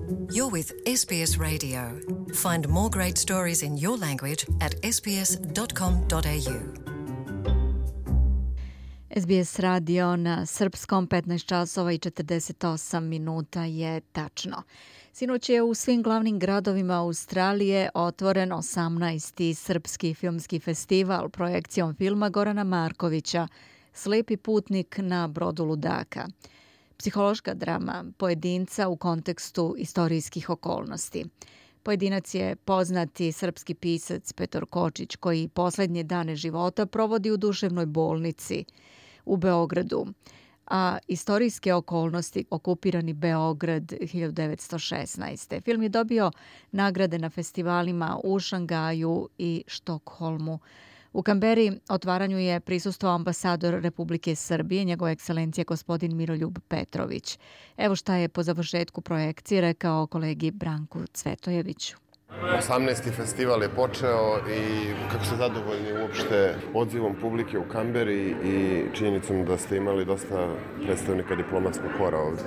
You're with SBS Radio. Find more great stories in your language at sbs.com.au. SBS radio na srpskom 15 časova i 48 minuta je tačno. Sinoć je u svim glavnim gradovima Australije otvoren 18. srpski filmski festival projekcijom filma Gorana Markovića Slepi putnik na brodu ludaka. Psihološka drama pojedinca u kontekstu istorijskih okolnosti. Pojedinac je poznati srpski pisac Petar Kočić koji posljednje dane života provodi u duševnoj bolnici u Beogradu, a istorijske okolnosti okupirani Beograd 1916. Film je dobio nagrade na festivalima u Šangaju i Štokholmu. U Kamberi otvaranju je prisustvovao ambasador Republike Srbije, njegova ekscelencija gospodin Miroljub Petrović. Evo šta je po završetku projekcije rekao kolegi Branku Cvetojeviću. 18. festival je počeo i kako ste zadovoljni uopšte odzivom publike u Kamberi i činjenicom da ste imali dosta predstavnika diplomatskog kora ovdje?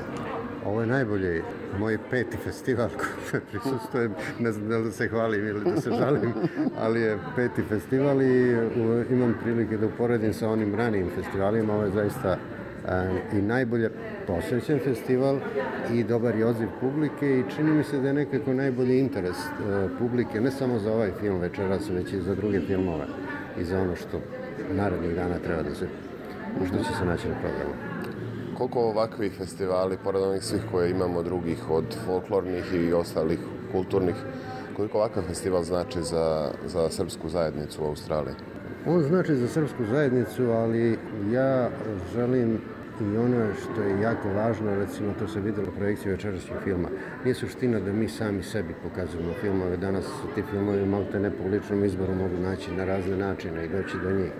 Ovo je najbolji moj 5. festival koji prisustujem, ne znam da li se hvalim ili da se žalim, ali je 5. festival i imam prilike da uporedim sa onim ranijim festivalima. Ovo je zaista i najbolje posvećen festival i dobar je odziv publike i čini mi se da je nekako najbolji interes publike, ne samo za ovaj film večeras, već i za druge filmove i za ono što narednih dana treba da se, što će se naći na programu. Koliko ovakvih festivali, pored onih svih koje imamo drugih, od folklornih i ostalih kulturnih, koliko ovakav festival znači za srpsku zajednicu u Australiji? On znači za srpsku zajednicu, ali ja želim i ono što je jako važno, recimo to se vidjelo u projekciji večerašnjeg filma, nije suština da mi sami sebi pokazujemo filmove. Danas su ti filmovi malte ne po ličnom izboru mogu naći na razne načine i doći do njih.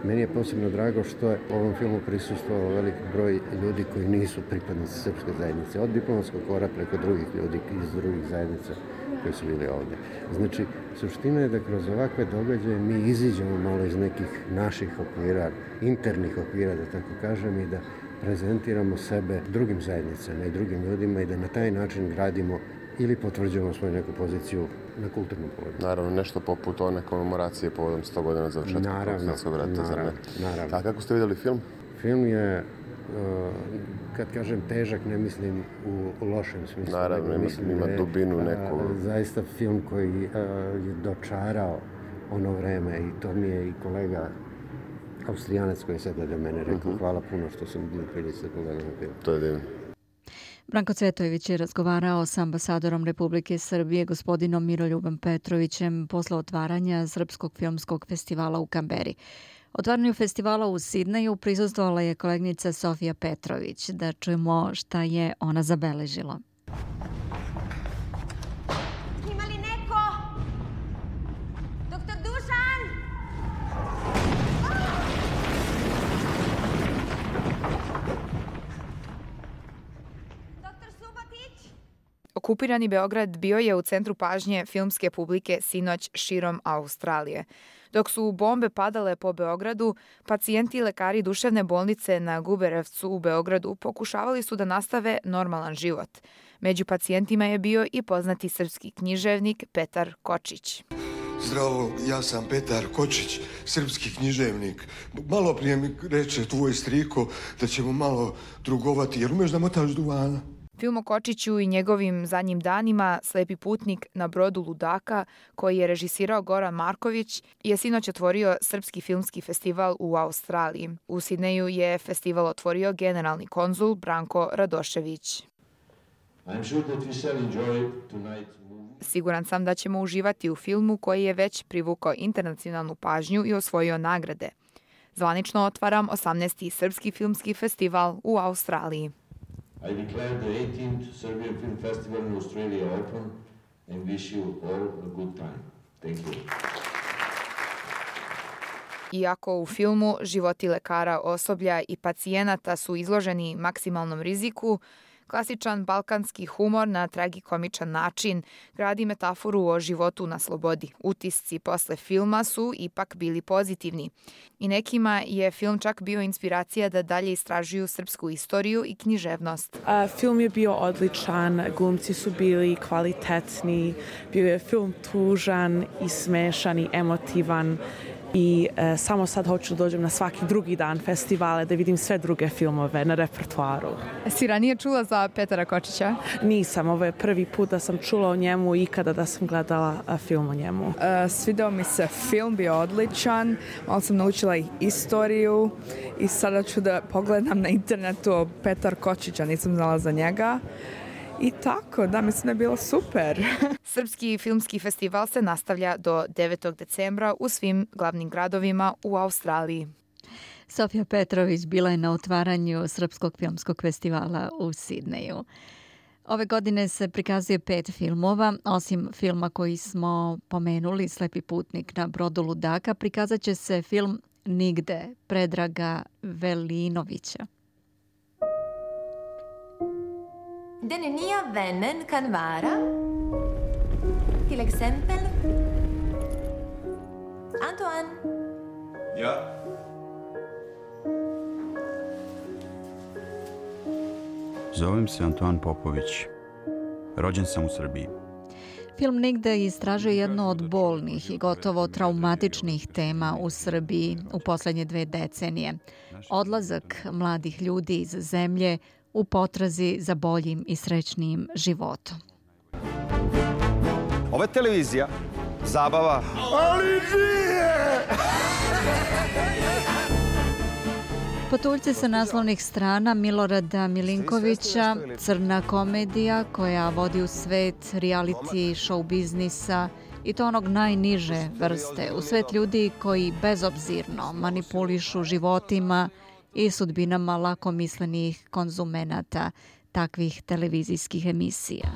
Meni je posebno drago što je u ovom filmu prisustvovao velik broj ljudi koji nisu pripadnici srpske zajednice, od diplomatskog kora preko drugih ljudi iz drugih zajednica koji su bili ovdje. Znači, suština je da kroz ovakve događaje mi iziđemo malo iz nekih naših okvira, internih okvira, da tako kažem, i da prezentiramo sebe drugim zajednicama i drugim ljudima i da na taj način gradimo ili potvrđujemo svoju neku poziciju na kulturnom polu. Naravno, nešto poput one komemoracije povodom 100 godina završetka Prvog svjetskog rata. Naravno. A kako ste vidjeli film? Film je, kad kažem težak, ne mislim u lošem smislu. Naravno, ima dubinu neku. Zaista film koji je dočarao ono vreme i to mi je i kolega Austrijanac koji je sad do mene rekao hvala puno što sam bio prilici da pogledam film. To je divno. Branko Cvetojević je razgovarao s ambasadorom Republike Srbije gospodinom Miroljubom Petrovićem posle otvaranja Srpskog filmskog festivala u Kamberi. Otvaranju festivala u Sidneju prisustvovala je kolegnica Sofija Petrović. Da čujemo šta je ona zabeležila. Ima li neko? Doktor Dušan? Okupirani Beograd bio je u centru pažnje filmske publike sinoć širom Australije. Dok su bombe padale po Beogradu, pacijenti i lekari duševne bolnice na Guberevcu u Beogradu pokušavali su da nastave normalan život. Među pacijentima je bio i poznati srpski književnik Petar Kočić. Zdravo, ja sam Petar Kočić, srpski književnik. Malo prije mi reče tvoj striko da ćemo malo drugovati, jer umeš da motaš duvana. Film o Kočiću i njegovim zadnjim danima Slepi putnik na brodu ludaka, koji je režisirao Goran Marković, je sinoć otvorio Srpski filmski festival u Australiji. U Sidneju je festival otvorio generalni konzul Branko Radošević. Siguran sam da ćemo uživati u filmu koji je već privukao internacionalnu pažnju i osvojio nagrade. Zvanično otvaram 18. Srpski filmski festival u Australiji. I declare the 18th Serbian Film Festival in Australia open and wish you all a good time. Thank you. Iako u filmu životi lekara, osoblja i pacijenata su izloženi maksimalnom riziku, Klasičan balkanski humor na tragikomičan način gradi metaforu o životu na slobodi. Utisci posle filma su ipak bili pozitivni. I nekima je film čak bio inspiracija da dalje istražuju srpsku istoriju i književnost. Film je bio odličan, glumci su bili kvalitetni, bio je film tužan i smešan i emotivan. I samo sad hoću da dođem na svaki drugi dan festivale da vidim sve druge filmove na repertoaru. Si ranije čula za Petara Kočića? Nisam, ovo je prvi put da sam čula o njemu i ikada da sam gledala film o njemu. Svidao mi se film, bio odličan, malo sam naučila i istoriju i sada ću da pogledam na internetu o Petar Kočića, nisam znala za njega. I tako, da, mislim da je bilo super. Srpski filmski festival se nastavlja do 9. decembra u svim glavnim gradovima u Australiji. Sofija Petrović bila je na otvaranju Srpskog filmskog festivala u Sidneju. Ove godine se prikazuje 5 filmova. Osim filma koji smo pomenuli, Slepi putnik na brodu ludaka, prikazat će se film Nigde Predraga Velinovića. Den nya vännen kan vara till exempel Antoine. Ja. Zovem se Antoine Popović. Rođen sam u Srbiji. Film Nigde istražuje jedno od bolnih i gotovo traumatičnih tema u Srbiji u posljednje 2 decenije. Odlazak mladih ljudi iz zemlje u potrazi za boljim i srećnijim životom. Ovo je televizija, zabava, ali nije! Potuljci sa naslovnih strana Milorada Milinkovića, crna komedija koja vodi u svet reality show biznisa i to onog najniže vrste, u svet ljudi koji bezobzirno manipulišu životima i sudbinama lakomislenih konzumenata takvih televizijskih emisija.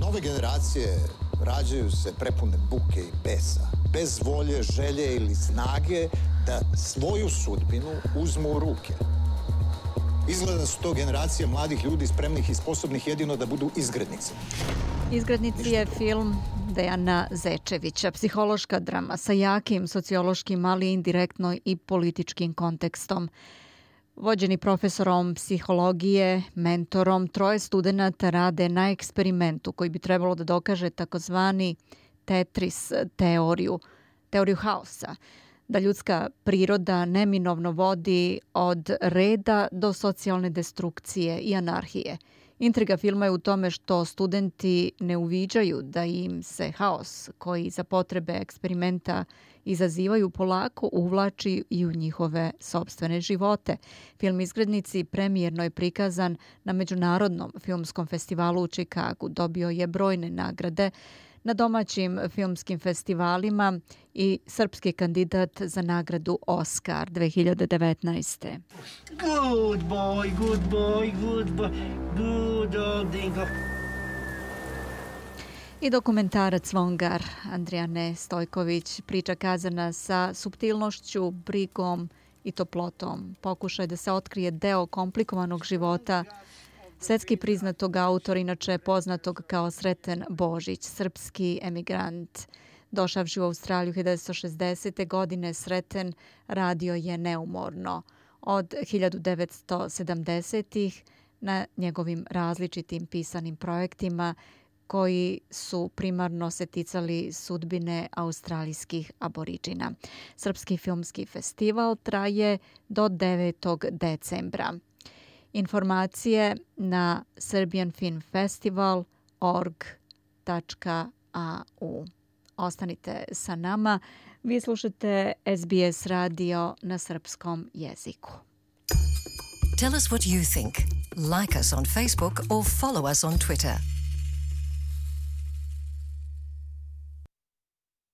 Nove generacije rađaju se prepune buke i besa, bez volje, želje ili snage da svoju sudbinu uzmu u ruke. Izgleda da su to generacije mladih ljudi spremnih i sposobnih jedino da budu izgrednici. Izgrednici je film Dejana Zečevića, psihološka drama sa jakim sociološkim, ali indirektno i političkim kontekstom. Vođeni profesorom psihologije, mentorom, 3 studenata rade na eksperimentu koji bi trebalo da dokaže takozvani Tetris teoriju haosa, da ljudska priroda neminovno vodi od reda do socijalne destrukcije i anarhije. Intriga filma je u tome što studenti ne uviđaju da im se haos koji za potrebe eksperimenta izazivaju polako uvlači i u njihove sopstvene živote. Film Izgrednici premijerno je prikazan na Međunarodnom filmskom festivalu u Čikagu. Dobio je brojne nagrade na domaćim filmskim festivalima i srpski kandidat za nagradu Oscar 2019. Good boy, good boy, good boy, good old dingo. I dokumentarac Vongar Andrijane Stojković, priča kazana sa suptilnošću, brigom i toplotom. Pokušaj da se otkrije deo komplikovanog života svetski priznatog autora, inače poznatog kao Sreten Božić, srpski emigrant. Došavši u Australiju 1960. godine, Sreten radio je neumorno. Od 1970-ih na njegovim različitim pisanim projektima koji su primarno se ticali sudbine australijskih aboriđina. Srpski filmski festival traje do 9. decembra. Informacije na serbianfilmfestival.org.au. Ostanite sa nama. Vi slušate SBS radio na srpskom jeziku. Tell us what you think. Like us on Facebook or follow us on Twitter.